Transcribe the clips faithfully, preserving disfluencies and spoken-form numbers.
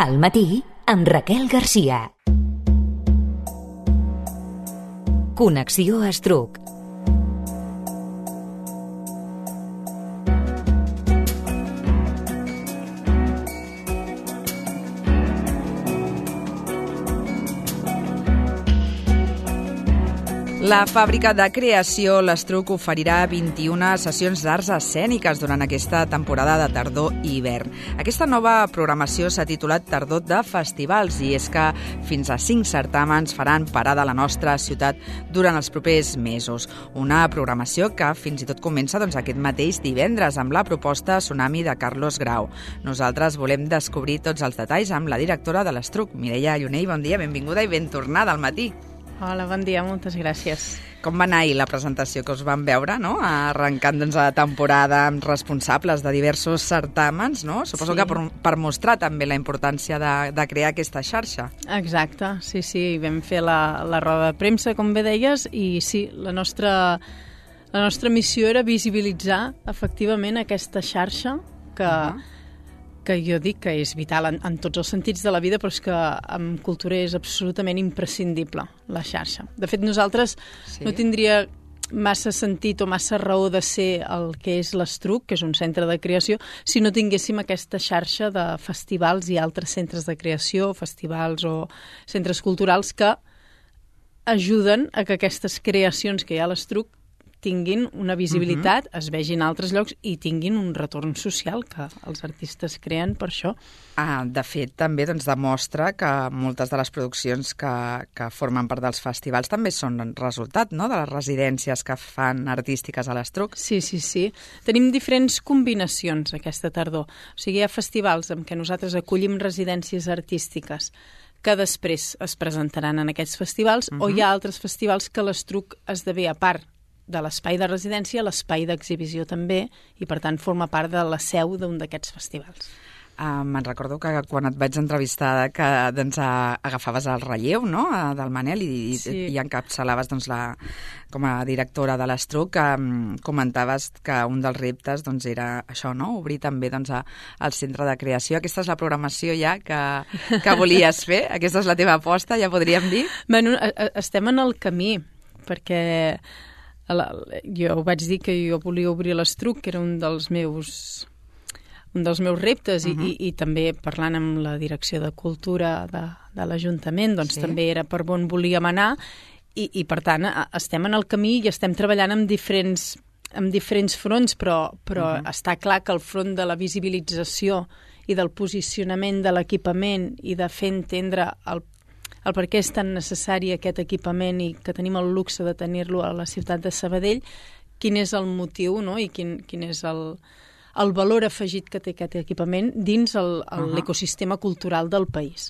Al matí, amb Raquel Garcia. Connexió Estruc. La fàbrica de creació l'Estruc oferirà vint-i-una sessions d'arts escèniques durant aquesta temporada de tardor i hivern. Aquesta nova programació s'ha titulat Tardor de Festivals i és que fins a cinc certàmens faran parada a la nostra ciutat durant els propers mesos. Una programació que fins i tot comença doncs, aquest mateix divendres amb la proposta Tsunami de Carlos Grau. Nosaltres volem descobrir tots els detalls amb la directora de l'Estruc, Mireia Llunell. Bon dia, benvinguda i ben tornada al matí. Hola, bon dia, moltes gràcies. Com va anar ahir la presentació que us vam veure, no? Arrencant doncs, la temporada amb responsables de diversos certàmens, no? Suposo sí. que per, per mostrar també la importància de, de crear aquesta xarxa. Exacte, sí, sí, vam fer la, la roda de premsa, com bé deies, i sí, la nostra, la nostra missió era visibilitzar efectivament aquesta xarxa que... Uh-huh. que jo dic que és vital en, en tots els sentits de la vida, però és que en cultura és absolutament imprescindible, la xarxa. De fet, nosaltres sí. no tindria massa sentit o massa raó de ser el que és l'Estruc, que és un centre de creació, si no tinguéssim aquesta xarxa de festivals i altres centres de creació, festivals o centres culturals que ajuden a que aquestes creacions que hi ha a l'Estruc tinguin una visibilitat, uh-huh. es vegin a altres llocs i tinguin un retorn social que els artistes creen per això. Ah, de fet, també doncs, demostra que moltes de les produccions que, que formen part dels festivals també són resultat, no?, de les residències que fan artístiques a l'Estruc. Sí, sí, sí. Tenim diferents combinacions aquesta tardor. O sigui, hi ha festivals en què nosaltres acollim residències artístiques que després es presentaran en aquests festivals, uh-huh. o hi ha altres festivals que l'Estruc esdevé a part de l'espai de residència, l'espai d'exhibició també, i per tant forma part de la seu d'un d'aquests festivals. Uh, me'n recordo que quan et vaig entrevistar que doncs, uh, agafaves el relleu, no?, uh, del Manel i, sí. i encapçalaves doncs, la, com a directora de l'Estruc, que um, comentaves que un dels reptes doncs, era això, no?, obrir també doncs, a, al centre de creació. Aquesta és la programació ja que, que volies fer? Aquesta és la teva aposta, ja podríem dir? Bueno, estem en el camí, perquè jo vaig dir que jo volia obrir l'Estruc, que era un dels meus, un dels meus reptes, uh-huh. i, i, i també parlant amb la direcció de cultura de, de l'Ajuntament, doncs sí. també era per on volíem anar, i, i per tant estem en el camí i estem treballant amb diferents, amb diferents fronts, però, però uh-huh. està clar que el front de la visibilització i del posicionament de l'equipament i de fer entendre el el per què és tan necessari aquest equipament i que tenim el luxe de tenir-lo a la ciutat de Sabadell, quin és el motiu, no?, i quin, quin és el, el valor afegit que té aquest equipament dins el, el, uh-huh. l'ecosistema cultural del país.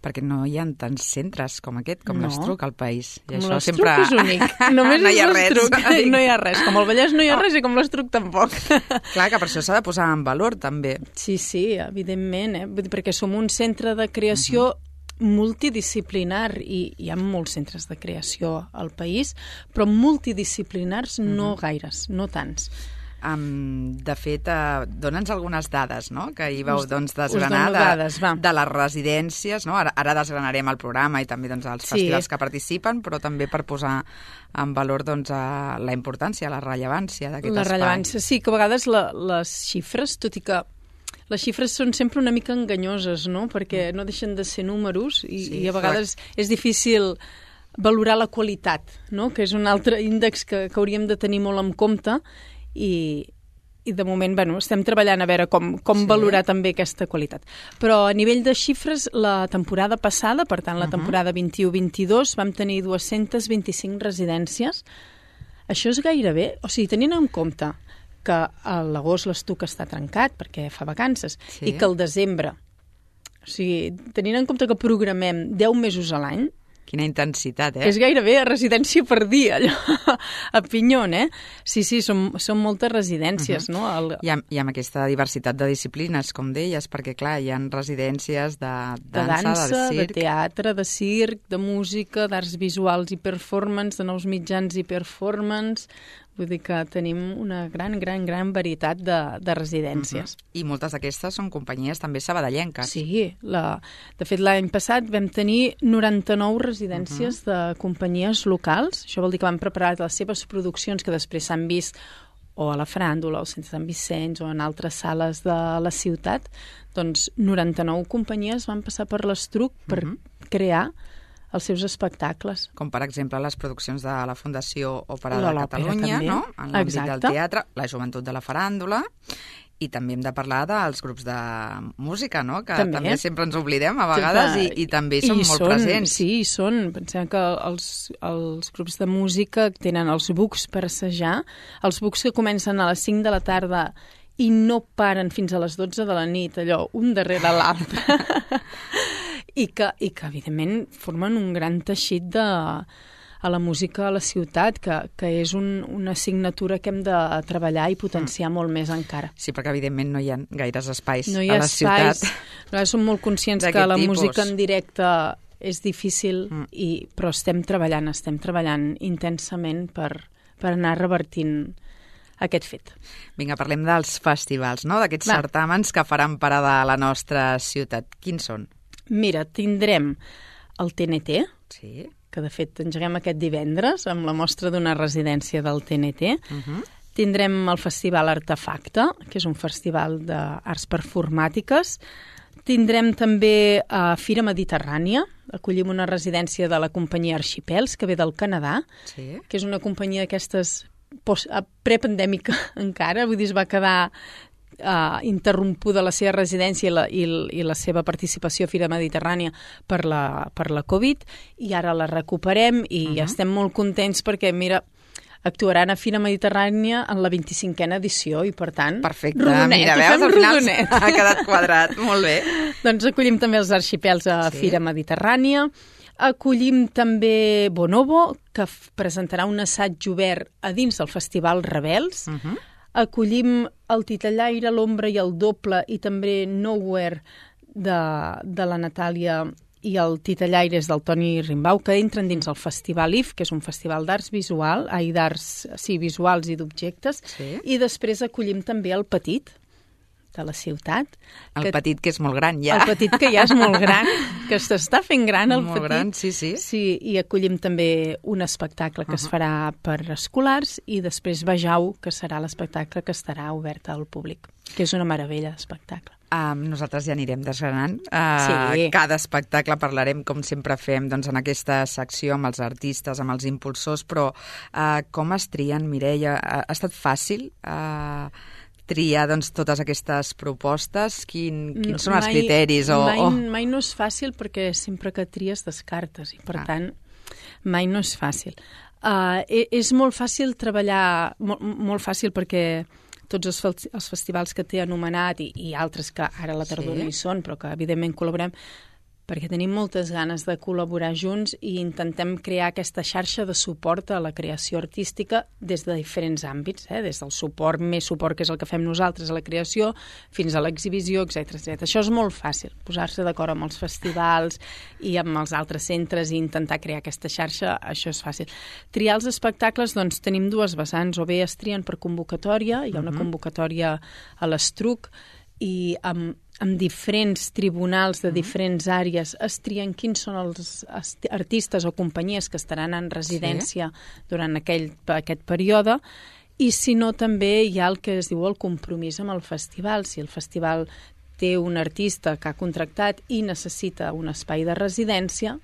Perquè no hi ha tants centres com aquest, com no. l'Estruc al país. I com això l'Estruc sempre... és únic. Només no hi ha és l'Estruc. res. No hi ha res. Com el Vallès no hi ha res i com l'Estruc tampoc. Clar, que per això s'ha de posar en valor, també. Sí, sí, evidentment, eh? Perquè som un centre de creació uh-huh. multidisciplinar i hi ha molts centres de creació al país, però multidisciplinars mm-hmm. no gaires, no tants. Um, de fet, uh, dona'ns algunes dades, no?, que hi vau us, doncs, desgranar de, dades, de les residències, no? Ara, ara desgranarem el programa i també doncs, els sí. festivals que participen, però també per posar en valor doncs, uh, la importància, la rellevància d'aquest espai. La rellevància, sí, que a vegades la, les xifres, tot i que les xifres són sempre una mica enganyoses, no?, perquè no deixen de ser números i, sí, i a vegades clar. És difícil valorar la qualitat, no?, que és un altre índex que, que hauríem de tenir molt en compte i, i de moment bueno, estem treballant a veure com, com sí. valorar també aquesta qualitat. Però a nivell de xifres, la temporada passada, per tant la temporada uh-huh. vint-i-u vint-i-dos, vam tenir dues-centes vint-i-cinc residències. Això és gairebé, o sigui, tenint en compte que a l'agost l'Estruc està trencat perquè fa vacances sí. i que al desembre, o sigui, tenint en compte que programem deu mesos a l'any, quina intensitat, eh? Que és gairebé a residència per dia, allò, a Pinyon, eh? Sí, sí, són, són moltes residències, uh-huh. no? El... I, amb, I amb aquesta diversitat de disciplines, com deies, perquè, clar, hi ha residències de dansa, de, dansa, de circ... de teatre, de circ, de música, d'arts visuals i performance, de nous mitjans i performance... Vull dir que tenim una gran, gran, gran varietat de, de residències. Uh-huh. I moltes d'aquestes són companyies també sabadellenques. Sí, la, de fet l'any passat vam tenir noranta-nou residències uh-huh. de companyies locals. Això vol dir que van preparar les seves produccions que després s'han vist o a la Faràndula, o al Centre Sant Vicenç, o en altres sales de la ciutat. Doncs noranta-nou companyies van passar per l'Estruc per uh-huh. crear els seus espectacles. Com, per exemple, les produccions de la Fundació Òpera de L'Òpera Catalunya, també. No? En l'àmbit Exacte. del teatre, la joventut de la faràndula, i també hem de parlar dels grups de música, no? Que també, també sempre ens oblidem a vegades i, i també són I molt són, presents. Sí, hi són. Pensem que els, els grups de música tenen els bucs per assajar, els bucs que comencen a les cinc de la tarda i no paren fins a les dotze de la nit, allò, un darrere l'altre. I que, i que, evidentment, formen un gran teixit de, a la música a la ciutat, que, que és un, una assignatura que hem de treballar i potenciar mm. molt més encara. Sí, perquè, evidentment, no hi ha gaires espais no hi a ha la espais. ciutat. Nosaltres som molt conscients que la tipus. música en directe és difícil, mm. i, però estem treballant, estem treballant intensament per, per anar revertint aquest fet. Vinga, parlem dels festivals, no? D'aquests certàmens que faran parada a la nostra ciutat. Quins són? Mira, tindrem el T N T, sí. que de fet engeguem aquest divendres amb la mostra d'una residència del T N T. Uh-huh. Tindrem el Festival Artefacte, que és un festival d'arts performàtiques. Tindrem també a uh, Fira Mediterrània, acollim una residència de la companyia Arxipels, que ve del Canadà, sí. que és una companyia d'aquestes prepandèmica encara, vull dir, es va quedar Uh, interrompuda la seva residència i la, i, i la seva participació a Fira Mediterrània per la, per la Covid, i ara la recuperem i uh-huh. estem molt contents perquè, mira, actuaran a Fira Mediterrània en la vint-i-cinquena edició i, per tant, perfecte. Rodonet, Mira, veus, al final ha quedat quadrat, molt bé. Doncs acollim també els arxipels a sí. Fira Mediterrània. Acollim també Bonobo, que presentarà un assaig obert a dins del Festival Rebels. Uh-huh. Acollim el Titellaire, l'Ombra i el Doble, i també Nowhere de, de la Natàlia i el Titellaire és del Toni Rimbau, que entren dins el Festival I F, que és un festival d'arts visual, ai, d'arts sí, visuals i d'objectes, sí. i després acollim també el Petit, de la ciutat. El que, Petit, que és molt gran, ja. El Petit, que ja és molt gran, que s'està fent gran, el molt Petit. Gran, sí, sí. Sí, i acollim també un espectacle que uh-huh. es farà per escolars, i després Vejau, que serà l'espectacle que estarà obert al públic, que és una meravella d'espectacle. Um, nosaltres ja anirem desgranant. Uh, sí. Cada espectacle parlarem, com sempre fem, doncs, en aquesta secció amb els artistes, amb els impulsors, però uh, com es trien, Mireia? Ha, ha estat fàcil uh, triar doncs, totes aquestes propostes? Quin, quins són mai, els criteris? O, mai, oh. mai no és fàcil perquè sempre que tries descartes i, per ah. tant, mai no és fàcil. Uh, és molt fàcil treballar, molt, molt fàcil perquè tots els, els festivals que t'he anomenat i, i altres que ara a la tardor sí. no hi són, però que evidentment col·laborem, perquè tenim moltes ganes de col·laborar junts i intentem crear aquesta xarxa de suport a la creació artística des de diferents àmbits, eh? Des del suport, més suport, que és el que fem nosaltres a la creació, fins a l'exhibició, etcètera, etcètera. Això és molt fàcil, posar-se d'acord amb els festivals i amb els altres centres i intentar crear aquesta xarxa, això és fàcil. Triar els espectacles, doncs tenim dues vessants, o bé es trien per convocatòria, hi ha una convocatòria a l'Estruc, i amb amb diferents tribunals de diferents àrees es trien quins són els artistes o companyies que estaran en residència sí. durant aquell, aquest període, i si no també hi ha el que es diu el compromís amb el festival. Si el festival té un artista que ha contractat i necessita un espai de residència,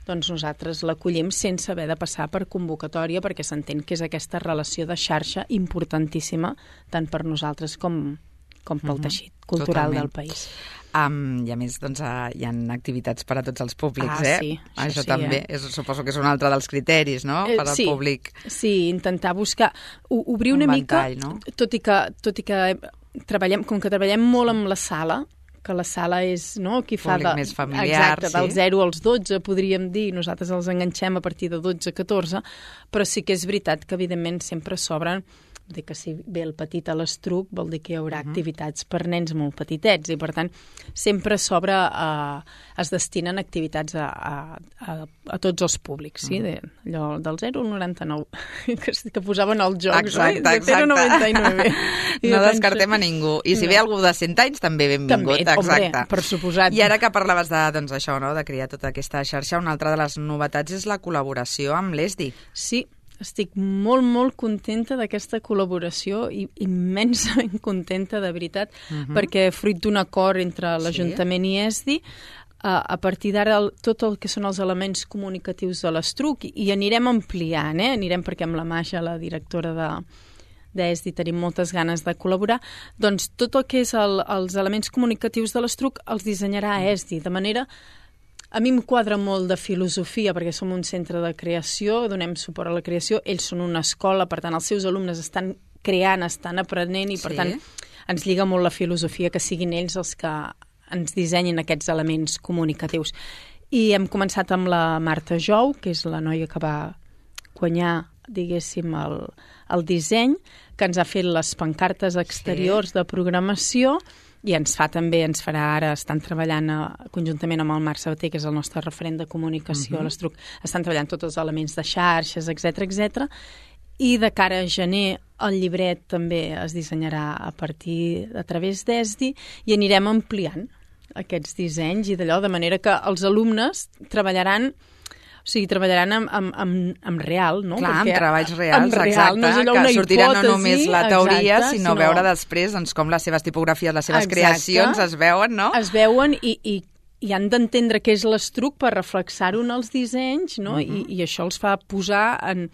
doncs nosaltres l'acollim sense haver de passar per convocatòria, perquè s'entén que és aquesta relació de xarxa importantíssima tant per nosaltres com com pel uh-huh. teixit cultural Totalment. Del país. Um, I a més, doncs, uh, hi ha activitats per a tots els públics, ah, eh? Sí, això això sí, també, eh? és, suposo que és un altre dels criteris, no?, per al sí, públic. Sí, intentar buscar, obrir un una ventall, mica, no? tot i que, tot i que treballem, com que treballem molt amb la sala, que la sala és, no?, qui fa... Públic de, més familiar, exacte, sí. del zero als dotze, podríem dir, nosaltres els enganxem a partir de dotze a catorze, però sí que és veritat que, evidentment, sempre s'obren. Vol dir que si ve el petit a l'Estruc vol dir que hi haurà uh -huh. activitats per nens molt petitets i, per tant, sempre s'obre, a, es destinen activitats a, a, a, a tots els públics, sí? Uh -huh. de, allò del zero al noranta-nou, que, que posaven els jocs, exacte, oi? De zero al noranta-nou. No descartem a ningú. I si no. ve algú de cent anys, també benvingut. També, exacte. Hombre, per suposat. I ara que parlaves de, doncs, això, no?, de crear tota aquesta xarxa, una altra de les novetats és la col·laboració amb l'E S D I. Sí, estic molt, molt contenta d'aquesta col·laboració i immensament contenta, de veritat, uh -huh. perquè fruit d'un acord entre l'Ajuntament sí. i E S D I, a, a partir d'ara tot el que són els elements comunicatius de l'Estruc, i, i anirem ampliant, eh? anirem perquè amb la Maja, la directora de d'E S D I, tenim moltes ganes de col·laborar, doncs tot el que és el, els elements comunicatius de l'Estruc els dissenyarà E S D I, de manera... A mi em quadra molt de filosofia, perquè som un centre de creació, donem suport a la creació, ells són una escola, per tant, els seus alumnes estan creant, estan aprenent, i per sí. tant ens lliga molt la filosofia que siguin ells els que ens dissenyin aquests elements comunicatius. I hem començat amb la Marta Jou, que és la noia que va guanyar, diguéssim, el, el disseny, que ens ha fet les pancartes exteriors sí. de programació, i ens fa també, ens farà ara, estan treballant a, conjuntament amb el Marc Sabater, que és el nostre referent de comunicació uh-huh. a l'Estruc, estan treballant tots els elements de xarxes, etcètera, etcètera. I de cara a gener el llibret també es dissenyarà a partir, a través d'E S D I, i anirem ampliant aquests dissenys, i d'allò, de manera que els alumnes treballaran... O sigui, treballaran amb, amb, amb, amb real, no? Clar, Perquè amb treballs reals, amb real, exacte, no és allò que una sortirà hipòtesi, no només la teoria, exacte, sinó, sinó veure després doncs, com les seves tipografies, les seves exacte. creacions es veuen, no? Es veuen i, i, i han d'entendre què és l'Estruc per reflexar-ho en els dissenys, no? Uh -huh. I, I això els fa posar en...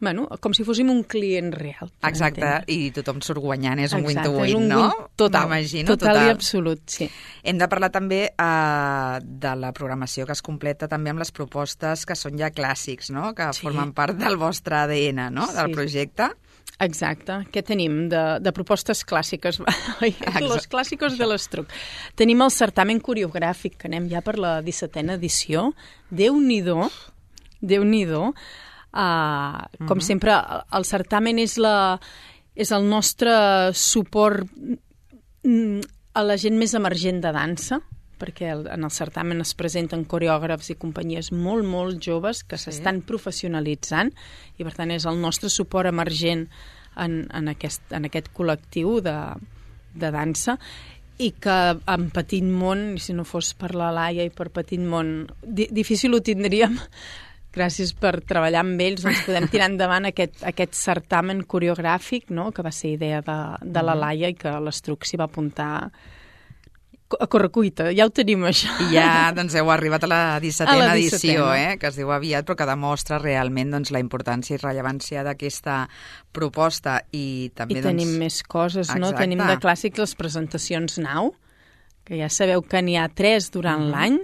Bueno, com si fóssim un client real. Exacte, entendre. I tothom surt guanyant, és un Exacte, win-to-win, un no? Win total, total, total i absolut, sí. Hem de parlar també uh, de la programació que es completa també amb les propostes que són ja clàssics, no? Que sí. formen part del vostre A D N, no? Del sí. projecte. Exacte. Què tenim de, de propostes clàssiques? Los clàssicos de l'Estruc. Tenim el certamen coreogràfic, que anem ja per la dissetena edició. Déu-n'hi-do, Déu-n'hi-do. Uh, com uh -huh. sempre, el certamen és, la, és el nostre suport a la gent més emergent de dansa, perquè el, en el certamen es presenten coreògrafs i companyies molt, molt joves que s'estan sí. professionalitzant, i per tant és el nostre suport emergent en, en, aquest, en aquest col·lectiu de, de dansa, i que en Petit Món, si no fos per la Laia i per Petit Món, di, difícil ho tindríem. Gràcies per treballar amb ells, doncs podem tirar endavant aquest, aquest certamen coreogràfic, no?, que va ser idea de, de la Laia i que l'Estruc s'hi va apuntar a correcuita. Ja ho tenim, això. I ja doncs, heu arribat a la dissetena edició, eh?, que es diu aviat, però que demostra realment doncs, la importància i rellevància d'aquesta proposta. I també I doncs... tenim més coses, no? Exacte. Tenim de clàssics les presentacions nau, que ja sabeu que n'hi ha tres durant mm. l'any,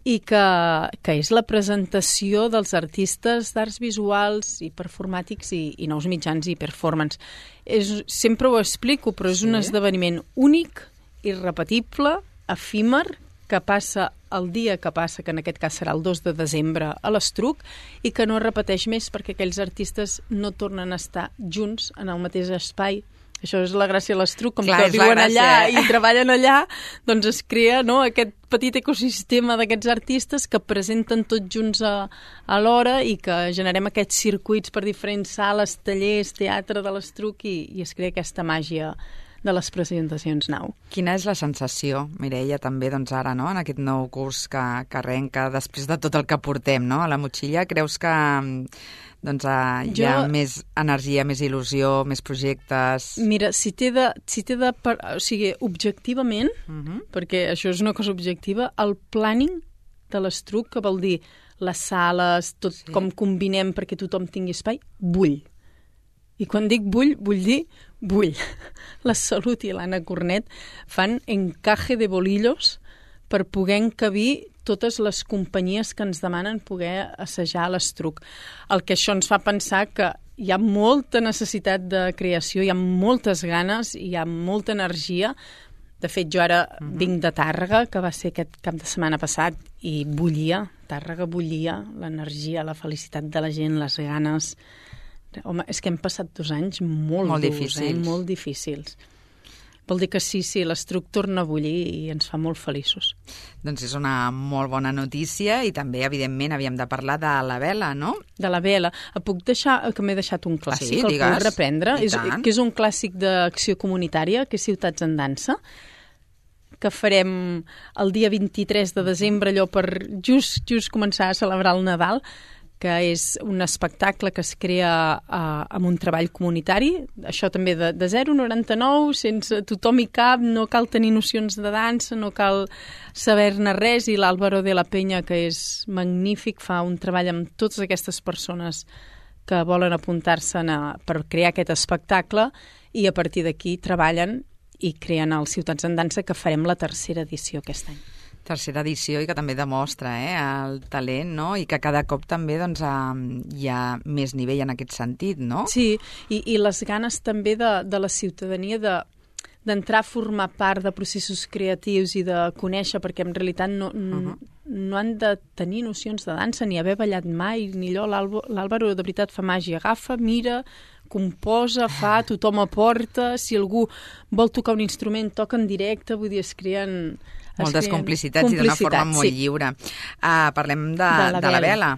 i que, que és la presentació dels artistes d'arts visuals i performàtics i, i nous mitjans i performance. És, sempre ho explico, però és sí. un esdeveniment únic, irrepetible, efímer, que passa el dia que passa, que en aquest cas serà el dos de desembre a l'Estruc, i que no es repeteix més perquè aquells artistes no tornen a estar junts en el mateix espai. Això és la gràcia de l'Estruc, com Clar, que viuen allà eh? i treballen allà, doncs es crea, no?, aquest petit ecosistema d'aquests artistes que presenten tots junts a, a l'hora i que generem aquests circuits per diferents sales, tallers, teatre de l'Estruc, i, i es crea aquesta màgia de les presentacions nau. Quina és la sensació, Mireia, també doncs ara, no?, en aquest nou curs que, que arrenca després de tot el que portem, no?, a la motxilla? Creus que doncs, uh, hi ha jo... més energia, més il·lusió, més projectes? Mira, si t'he de... Si t'he de per... O sigui, objectivament, uh -huh. perquè això és una cosa objectiva, el planning de l'Estruc, que vol dir les sales, tot sí. com combinem perquè tothom tingui espai, bull. I quan dic bull, vull dir bull. La Salut i l'Anna Cornet fan encaje de bolillos per poder encabir totes les companyies que ens demanen poder assajar a l'Estruc. El que això ens fa pensar que hi ha molta necessitat de creació, hi ha moltes ganes, hi ha molta energia, De fet, jo ara uh-huh. vinc de Tàrrega, que va ser aquest cap de setmana passat, i bullia, Tàrrega bullia, l'energia, la felicitat de la gent, les ganes. Home, és que hem passat dos anys molt, molt durs, difícils. Eh? Molt difícils. Vol dir que sí, sí, l'Estruc torna a bullir i ens fa molt feliços. Doncs és una molt bona notícia i també, evidentment, havíem de parlar de la vela, no? De la vela. Puc deixar, que m'he deixat un clàssic, sí, el digues. puc reprendre, és, que és un clàssic d'acció comunitària, que és Ciutats en Dansa, que farem el dia vint-i-tres de desembre, allò per just, just començar a celebrar el Nadal, que és un espectacle que es crea uh, amb un treball comunitari, això també de, de zero a noranta-nou, sense tothom hi cap, no cal tenir nocions de dansa, no cal saber-ne res, i l'Álvaro de la Peña, que és magnífic, fa un treball amb totes aquestes persones que volen apuntar-se per crear aquest espectacle, i a partir d'aquí treballen i creen els Ciutats en Dansa, que farem la tercera edició aquest any. Tercera edició i que també demostra eh, el talent, no? I que cada cop també doncs, hi ha més nivell en aquest sentit, no? Sí, i, i les ganes també de, de la ciutadania de d'entrar a formar part de processos creatius i de conèixer, perquè en realitat no, uh-huh. no han de tenir nocions de dansa, ni haver ballat mai, ni allò. L'Àlvaro de veritat fa màgia, agafa, mira, composa, fa, tothom aporta, si algú vol tocar un instrument, toca en directe, vull dir, es creen... Moltes complicitats, complicitats i d'una forma molt sí. lliure. Uh, parlem de, de, la, de la vela.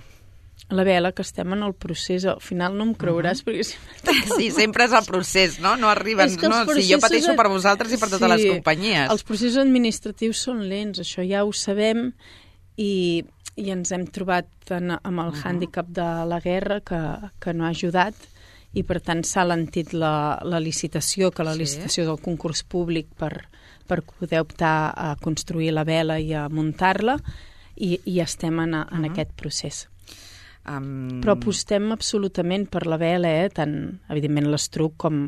La vela, que estem en el procés. Al final no em creuràs, uh-huh. perquè... Sí, sempre és el procés, no? No arriben... No, sí, jo pateixo per vosaltres i per totes sí, les companyies. Els processos administratius són lents, això ja ho sabem, i, i ens hem trobat en, amb el uh-huh. hàndicap de la guerra, que, que no ha ajudat, i per tant s'ha alentit la, la licitació, que la sí. licitació del concurs públic per... per poder optar a construir la vela i a muntar-la, i, i estem en, en uh-huh. aquest procés. Um... Però apostem absolutament per la vela, eh? Tant, evidentment, l'Estruc com,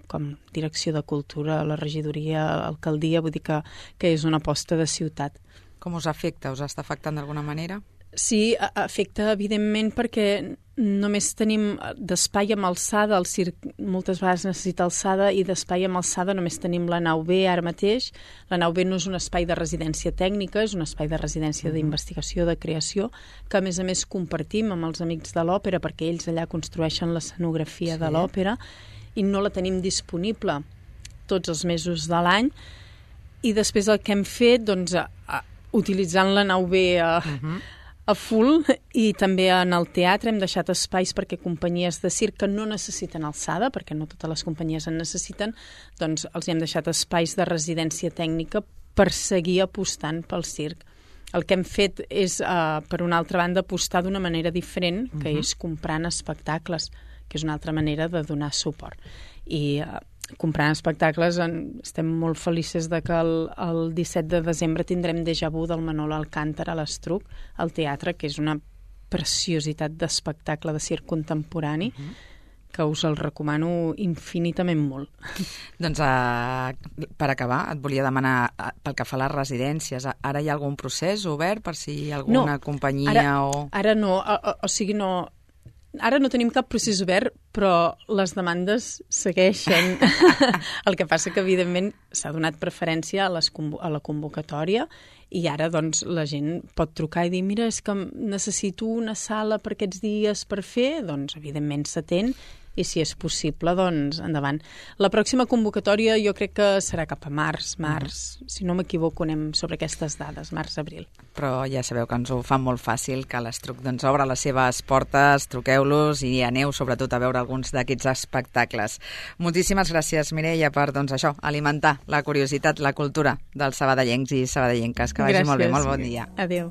com Direcció de Cultura, la regidoria, l'alcaldia, vull dir que, que és una aposta de ciutat. Com us afecta? Us està afectant d'alguna manera? Sí, afecta, evidentment, perquè només tenim d'espai amb alçada, el circ moltes vegades necessita alçada, i d'espai amb alçada només tenim la nau B ara mateix. La nau B no és un espai de residència tècnica, és un espai de residència d'investigació, de creació, que a més a més compartim amb els amics de l'òpera, perquè ells allà construeixen l'escenografia sí. de l'òpera, i no la tenim disponible tots els mesos de l'any. I després el que hem fet, doncs, a, a, utilitzant la nau B a... Uh-huh. a full, i també en el teatre hem deixat espais perquè companyies de circ que no necessiten alçada, perquè no totes les companyies en necessiten, doncs els hem deixat espais de residència tècnica per seguir apostant pel circ. El que hem fet és, uh, per una altra banda, apostar d'una manera diferent, que uh-huh. és comprant espectacles, que és una altra manera de donar suport. I uh, comprant espectacles, en, estem molt felices de que el, el disset de desembre tindrem Déjà Vu del Manolo Alcántara a l'Estruc, al teatre, que és una preciositat d'espectacle de circ contemporani, uh-huh. que us el recomano infinitament molt. Doncs uh, per acabar, et volia demanar, uh, pel que fa a les residències, ara hi ha algun procés obert per si alguna no, companyia ara, o... Ara no, o, o, o sigui, no... Ara no tenim cap procés obert, però les demandes segueixen. El que passa que, evidentment, s'ha donat preferència a, les, a la convocatòria, i ara doncs, la gent pot trucar i dir mira, és que necessito una sala per aquests dies per fer, doncs, evidentment, s'atén, i si és possible, doncs, endavant. La pròxima convocatòria jo crec que serà cap a març, març. Mm. Si no m'equivoco, anem sobre aquestes dades, març-abril. Però ja sabeu que ens ho fa molt fàcil, que l'Estruc doncs, obre les seves portes, truqueu-los i aneu sobretot a veure alguns d'aquests espectacles. Moltíssimes gràcies, Mireia, per doncs, això, alimentar la curiositat, la cultura dels sabadellencs i sabadellenques. Que vagi gràcies. Molt bé, molt bon dia. Adéu.